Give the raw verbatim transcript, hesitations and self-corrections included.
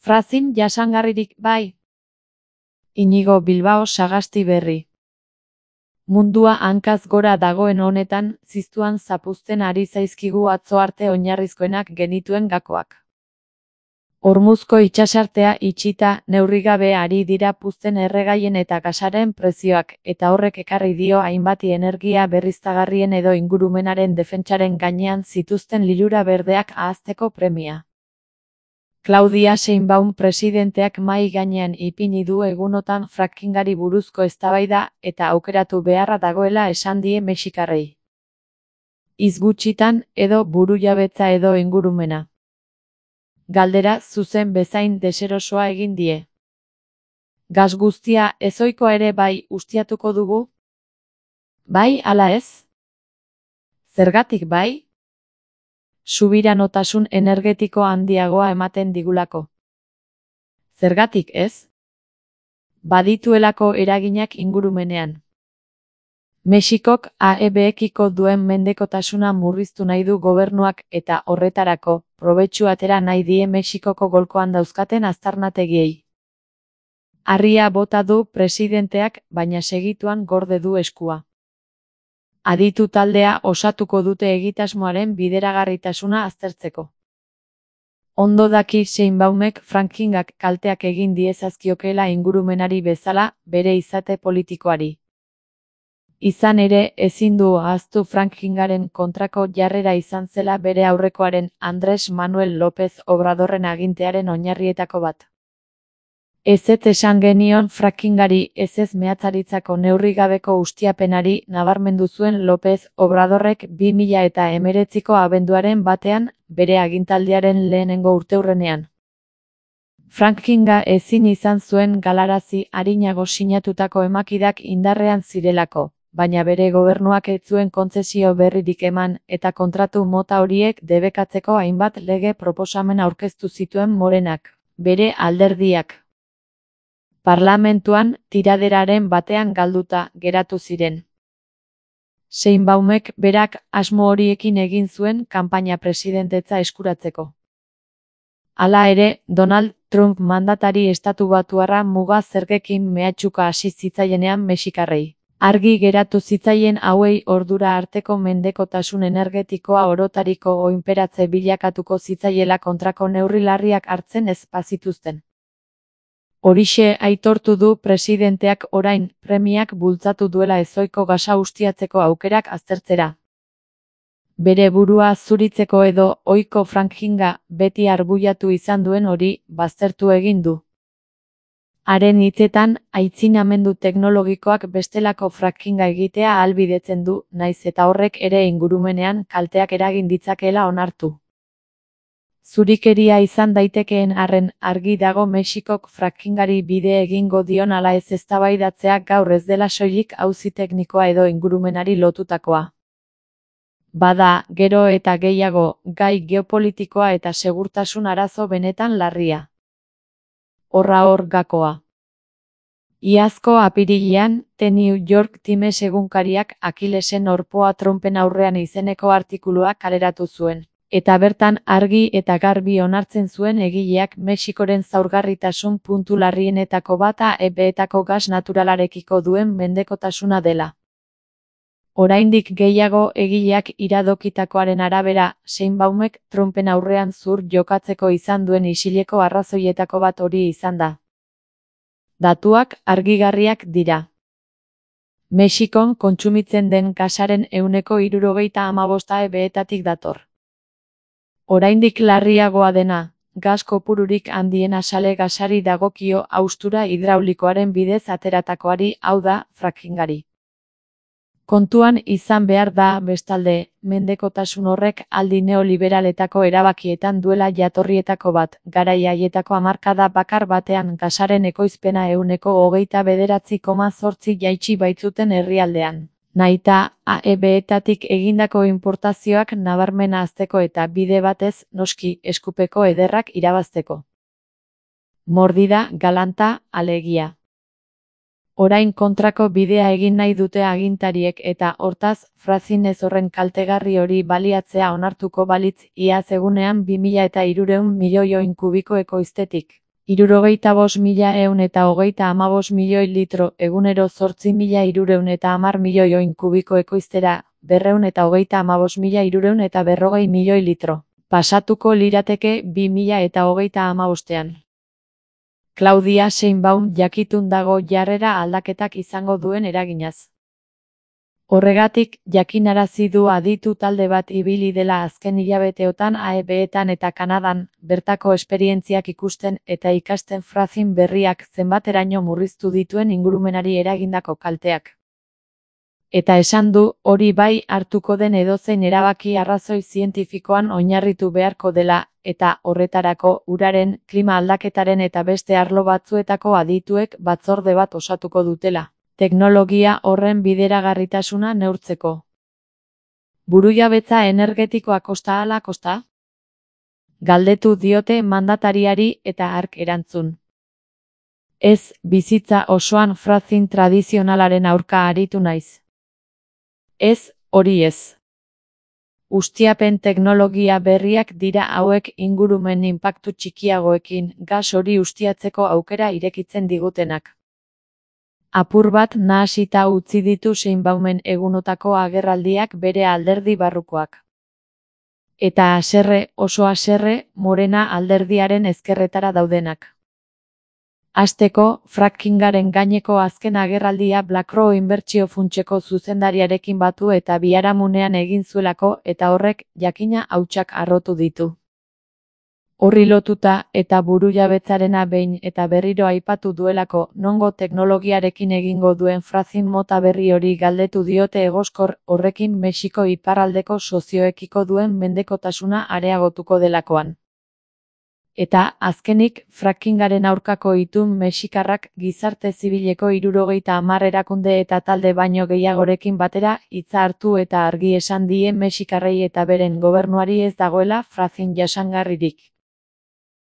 Frazin jasangarririk bai. Inigo Bilbao Sagasti berri. Mundua hankaz gora dagoen honetan, ziztuan zapuzten ari zaizkigu atzo arte oinarrizkoenak genituen gakoak. Hormuzko itsasartea itxita, neurrigabe ari dira puzten erregaien eta gasaren prezioak, eta horrek ekarri dio hainbati energia berriztagarrien edo ingurumenaren defentsaren gainean zituzten lilura berdeak ahazteko premia. Claudia Sheinbaum presidenteak mahai gainean ipini du egunotan frackingari buruzko eztabaida eta aukeratu beharra dagoela esan die mexikarrei. Hitz gutxitan, edo burujabetza edo ingurumena. Galdera zuzen bezain deserosoa egin die. Gas guztia ezohikoa ere bai ustiatuko dugu? Bai ala ez? Zergatik bai? Subiranotasun energetiko handiagoa ematen digulako. Zergatik ez? Badituelako eraginak ingurumenean. Mexikok A E B-ekiko duen mendekotasuna murriztu nahi du gobernuak eta horretarako, probetxu atera nahi die Mexikoko golkoan dauzkaten aztarnategiei. Harria bota du presidenteak, baina segituan gorde du eskua. Aditu taldea osatuko dute egitasmoaren bideragarritasuna aztertzeko. Ondo daki Sheinbaumek frackingak kalteak egin diezazkiokeela ingurumenari bezala, bere izate politikoari. Izan ere, ezin du ahaztu frackingaren kontrako jarrera izan zela bere aurrekoaren Andrés Manuel López Obradorren agintearen oinarrietako bat. Ezetz esan genion frackingari ezez mehatzaritzako neurrigabeko ustiapenari nabarmendu zuen López Obradorrek bi mila eta hemeretziko abenduaren batean, bere agintaldiaren lehenengo urteurrenean. Frackinga ezin izan zuen galarazi arinago sinatutako emakidak indarrean zirelako, baina bere gobernuak ez zuen kontzesio berririk eman eta kontratu mota horiek debekatzeko hainbat lege proposamen aurkeztu zituen Morenak, bere alderdiak. Parlamentuan, tiraderaren batean galduta geratu ziren. Sheinbaumek berak asmo horiekin egin zuen kanpaina presidentetza eskuratzeko. Hala ere, Donald Trump mandatari estatubatuarra muga zergekin mehatxuka hasi zitzaienean mexikarrei. Argi geratu zitzaien hauei ordura arteko mendekotasun energetikoa orotariko oinperatze bilakatuko zitzaiela kontrako neurri larriak hartzen ez bazituzten. Horixe aitortu du presidenteak orain, premiak bultzatu duela ezohiko gasa ustiatzeko aukerak aztertzera. Bere burua zuritzeko edo ohiko frackinga beti arbuiatu izan duen hori baztertu egin du. Haren hitzetan, aitzinamendu teknologikoak bestelako frackinga egitea ahalbidetzen du, naiz eta horrek ere ingurumenean kalteak eragin ditzakeela onartu. Zurikeria izan daitekeen arren, argi dago Mexikok frackingari bide egingo dion ala ez eztabaidatzea gaur ez dela soilik auzi teknikoa edo ingurumenari lotutakoa. Bada, gero eta gehiago, gai geopolitikoa eta segurtasun arazo benetan larria. Horra hor gakoa. Iazko apirilean, The New York Times egunkariak Akilesen orpoa Trumpen aurrean izeneko artikulua kaleratu zuen. Eta bertan argi eta garbi onartzen zuen egileak Mexikoren zaurgarritasun puntu larrienetako bata A E B-etako gas naturalarekiko duen mendekotasuna dela. Oraindik gehiago egileak iradokitakoaren arabera, Sheinbaumek Trumpen aurrean zur jokatzeko izan duen isileko arrazoietako bat hori izan da. Datuak argigarriak dira. Mexikon kontsumitzen den gasaren ehuneko hirurogeita hamabosta A E B-etatik dator. Oraindik larriagoa dena, gas kopururik handiena sale gasari dagokio haustura hidraulikoaren bidez ateratakoari, hau da, frackingari. Kontuan izan behar da, bestalde, mendekotasun horrek aldi neoliberaletako erabakietan duela jatorrietako bat, garai haietako hamarkada bakar batean gasaren ekoizpena ehuneko hogeita bederatzi koma zortzi jaitsi baitzuten herrialdean. Naita, A E B-etatik egindako importazioak nabarmena hazteko eta bide batez, noski, eskupeko ederrak irabazteko. Mordida, galanta, alegia. Orain kontrako bidea egin nahi dute agintariek eta, hortaz, fracking ez horren kaltegarri hori baliatzea onartuko balitz, iaz egunean bi mila eta hirurehun milioi oin kubiko ekoiztetik. Hirurogeita bost mila ehun eta hogeita hamabost milioi litro egunero zortzi mila hirurehun eta hamar milioi oin kubiko ekoiztera, berrehun eta hogeita hamabost mila hirurehun eta berrogei milioi litro. Pasatuko lirateke bi mila eta hogeita hamabostean. Claudia Sheinbaum jakitun dago jarrera aldaketak izango duen eraginaz. Horregatik, jakinarazi du aditu talde bat ibili dela azken hilabeteotan A E B-etan eta Kanadan, bertako esperientziak ikusten eta ikasten fracking berriak zenbateraino murriztu dituen ingurumenari eragindako kalteak. Eta esan du, hori bai hartuko den edozein erabaki arrazoi zientifikoan oinarritu beharko dela, eta horretarako uraren, klima aldaketaren eta beste arlo batzuetako adituek batzorde bat osatuko dutela. Teknologia horren bideragarritasuna neurtzeko. Burujabetza energetikoa kosta ala kosta? Galdetu diote mandatariari eta hark erantzun. Ez, bizitza osoan fracking tradizionalaren aurka aritu naiz. Ez, hori ez. Ustiapen teknologia berriak dira hauek ingurumen inpaktu txikiagoekin gas hori ustiatzeko aukera irekitzen digutenak. Apur bat nahasita utzi ditu Sheinbaumen egunotako agerraldiak bere alderdi barrukoak. Eta haserre, oso haserre, Morena alderdiaren ezkerretara daudenak. Hasteko, frackingaren gaineko azken agerraldia BlackRock inbertsio funtseko zuzendariarekin batu eta biharamunean egin zuelako eta horrek jakina hautsak harrotu ditu. Horri lotuta eta burujabetzarena behin eta berriro aipatu duelako nongo teknologiarekin egingo duen fracking mota berri hori galdetu diote egoskor horrekin Mexiko iparraldeko sozioekiko duen mendekotasuna areagotuko delakoan. Eta, azkenik, frackingaren aurkako itun mexikarrak gizarte zibileko hirurogeita hamar erakunde eta talde baino gehiagorekin batera hitza hartu eta argi esan die mexikarrei eta beren gobernuari ez dagoela fracking jasangarririk.